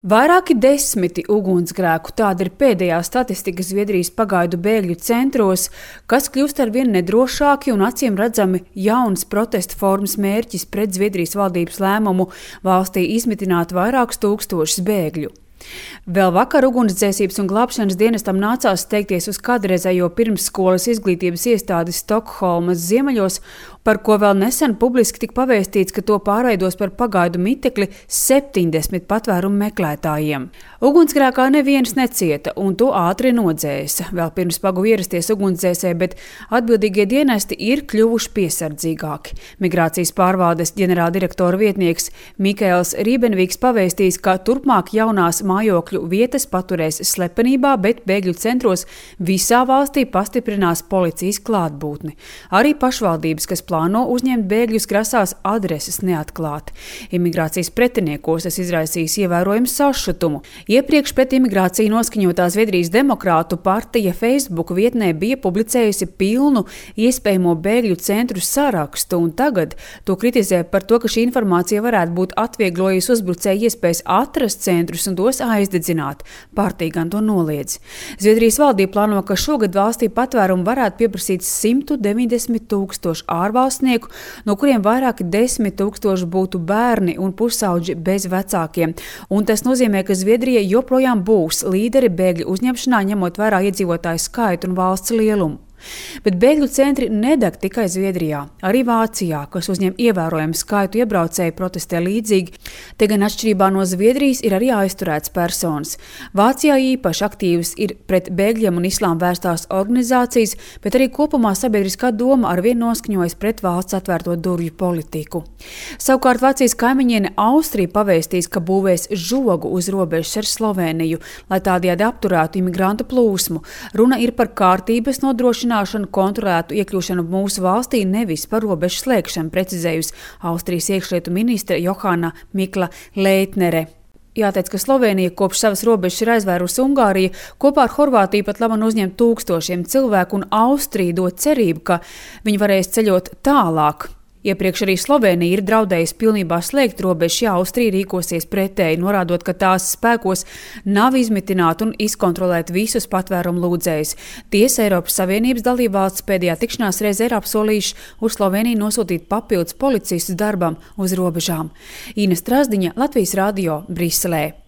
Vairāki desmiti ugunsgrēku, tāda ir pēdējā statistika Zviedrijas pagaidu bēgļu centros, kas kļūst arvien nedrošāki un acīm redzami jauns protesta formas mērķis pret Zviedrijas valdības lēmumu valstī izmitināt vairākus tūkstošus bēgļu. Vēl vakar ugunsdzēsības un glābšanas dienestam nācās steigties uz kādreizējo pirmsskolas izglītības iestādi Stokholmas ziemeļos, par ko vēl nesen publiski tika pavēstīts, ka to pārveidos par pagaidu mitekli 70 patvērumu meklētājiem. Ugunsgrēkā neviens necieta, un to ātri nodzēsa. Vēl pirms paguva ierasties ugunsdzēsē, bet atbildīgie dienesti ir kļuvuši piesardzīgāki. Migrācijas pārvaldes ģenerāldirektora vietnieks Mikaels Rībenvīks pavēstījis, ka turpmāk jaunās mājokļu vietas paturēs slepenībā, bet bēgļu centros visā valstī pastiprinās policijas klātbūtni. Arī pašvaldības, kas plāno uzņemt bēgļus, grasās adreses neatklāt. Imigrācijas pretiniekos tas izraisīs ievērojumu sašutumu. Iepriekš pret imigrāciju noskaņotā Zviedrijas demokrātu partija Facebook vietnē bija publicējusi pilnu iespējamo bēgļu centru sarakstu, un tagad to kritizē par to, ka šī informācija varētu būt atvieglojusi uzbrucēju iespējas atrast centrus un tos aizdedzināt. Partija gan to noliedz. Zviedrijas valdība plāno, ka šogad valstī patvērumu varētu pieprasīt 190 000 ārvalstnieku, no kuriem vairāki 10 000 būtu bērni un pusauģi bez vecākiem. Un tas nozīmē, ka Zviedrija joprojām būs līderi bēgļu uzņemšanā, ņemot vērā iedzīvotāju skaitu un valsts lielumu. Bet bēgļu centri nedeg tikai Zviedrijā, arī Vācijā, kas uzņem ievērojumu skaitu iebraucēju, protestē līdzīgi. Te gan atšķirībā no Zviedrijas ir arī aizturēts personas. Vācijā īpaši aktīvas ir pret bēgļiem un islāmu vērstās organizācijas, bet arī kopumā sabiedriskā doma arvien noskaņojas pret valsts atvērto durvju politiku. Savukārt Vācijas kaimiņiene Austrija pavēstīs, ka būvēs žogu uz robežas ar Sloveniju, lai tādējādi apturētu imigrantu plūsmu. Runa ir par kārtības nodrošināšanu, kontrolētu iekļūšanu mūsu valstī, nevis par robežu slēgšanu, precizējusi Austrijas iekšlietu ministre Johana Mikla Leitnere. Jāteic, ka Slovenija kopš savas robežas ir aizvērusi Ungāriju, kopā ar Horvātiju pat labi uzņemt tūkstošiem cilvēku, un Austrija dod cerību, ka viņi varēs ceļot tālāk. Iepriekš arī Slovenija ir draudējusi pilnībā slēgt robežu, ja Austrija rīkosies pretēji, norādot, ka tās spēkos nav izmitināt un izkontrolēt visus patvērumu lūdzējus. Tiesa Eiropas Savienības dalībvalsts pēdējā tikšanās reizē ir apsolījuši uz Sloveniju nosūtīt papildus policistus darbam uz robežām. Ina Strazdiņa, Latvijas radio, Briselē.